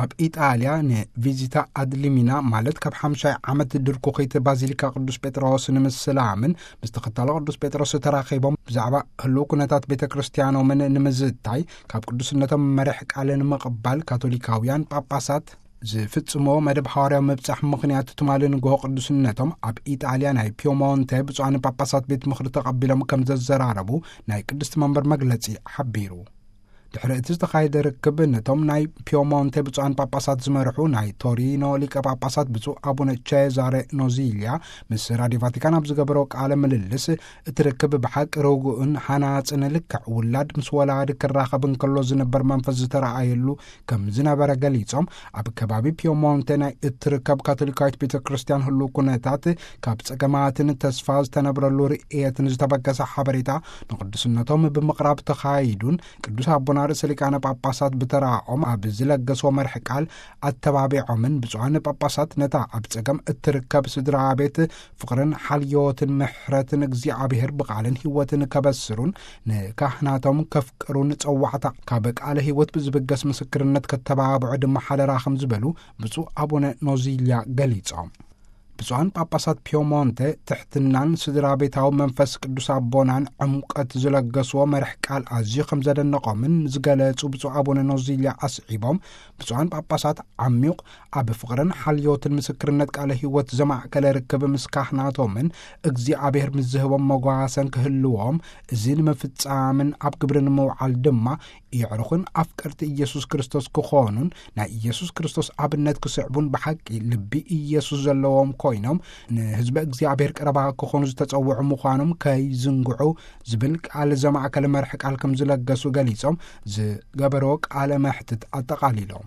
ኣብ ኢጣልያ ንቪዚታ ኣድሊሚና፣ ማለት ካብ ሓምሻይ ዓመት ድርኩኺት ባዚሊካ ቅዱስ ጴጥሮስ ንምስላምን ምስ ተኸታሎ ቅዱስ ጴጥሮስ ተራኺቦም ብዛዕባ ህልው ኩነታት ቤተ ክርስቲያኖምን ንምዝታይ ካብ ቅዱስነቶም መሪሕ ቃል ንምቕባል ካቶሊካውያን ጳጳሳት ዝፍጽሞ መደብ ሓዋርያዊ ምብጻሕ ምኽንያት ትማሊ ንግሆ ቅዱስነቶም ኣብ ኢጣልያ ናይ ፒዮሞንቴ ብፁዓን ጳጳሳት ቤት ምኽሪ ተቐቢሎም ከም ዘዘራረቡ ናይ ቅድስቲ መንበር መግለጺ ሓቢሩ። ድሕሪ እቲ ዝተኻየደ ርክብ ነቶም ናይ ፒዮሞንቴ ብፁዓን ጳጳሳት ዝመርሑ ናይ ቶሪኖ ሊቀ ጳጳሳት ብፁዕ ኣቡነ ቼዛሬ ኖዚልያ ምስ ራድዮ ቫቲካን ኣብ ዝገበሮ ቃለ ምልልስ፣ እቲ ርክብ ብሓቂ ርጉእን ሃናጽን፣ ልክዕ ውላድ ምስ ወላዲ ክራኸብ እንከሎ ዝነበር መንፈስ ዝተረኣየሉ ከም ዝነበረ ገሊጾም፣ ኣብ ከባቢ ፒዮሞንቴ ናይ እትርከብ ካቶሊካዊት ቤተ ክርስቲያን ህልው ኩነታት ካብ ጸገማትን ተስፋ ዝተነብረሉ ርእየትን ዝተበገሰ ሓበሬታ ንቅዱስነቶም ብምቕራብ ተኻይዱን፣ ቅዱስ ኣቦና ርእሰ ሊቃነ ጳጳሳት ብተራኦም ኣብ ዝለገስዎ መርሒ ቃል ኣተባቢዖምን፣ ብፁዓን ጳጳሳት ነታ ኣብ ጸገም እትርከብ ስድራ ቤት ፍቕርን ሓልዮትን ምሕረትን እግዚኣብሔር ብቓልን ህይወትን ከበስሩን፣ ንካህናቶም ከፍቅሩን ጸዋዕታ ካብ ቃለ ህይወት ብዝብገስ ምስክርነት ከተባብዑ ድማ ሓደራ ከም ዝበሉ ብፁዕ ኣቡነ ኖዚልያ ገሊጾም። ብፁዓን ጳጳሳት ፒዮሞንተ ትሕትናን ስድራ ቤታዊ መንፈስ ቅዱስ ኣቦናን ዕምቀት ዝለገስዎ መርሕ ቃል ኣዝዩ ከም ዘደነቖምን ዝገለጹ ብፁዕ ኣቡነ ኖዚልያ ኣስዒቦም፣ ብፁዓን ጳጳሳት ዓሚቕ ኣብ ፍቕርን ሓልዮትን ምስክርነት ቃለ ህይወት ዘማእከለ ርክብ ምስ ካህናቶምን እግዚኣብሔር ምስ ዝህቦም መጓሰን ክህልዎም፣ እዚ ንምፍጻምን ኣብ ግብሪ ንምውዓል ድማ የዕሩኽን ኣፍቀርቲ ኢየሱስ ክርስቶስ ክኾኑን ናይ ኢየሱስ ክርስቶስ ኣብነት ክስዕቡን ብሓቂ ልቢ ኢየሱስ ዘለዎም ኮይኖም ንህዝበ እግዚኣብሔር ቀረባ ክኾኑ ዝተጸውዑ ምዃኖም ከይዝንግዑ ዝብል ቃል ዘማእከለ መርሒ ቃል ከም ዝለገሱ ገሊጾም ዝገበርዎ ቃለ መሕትት ኣጠቓሊሎም።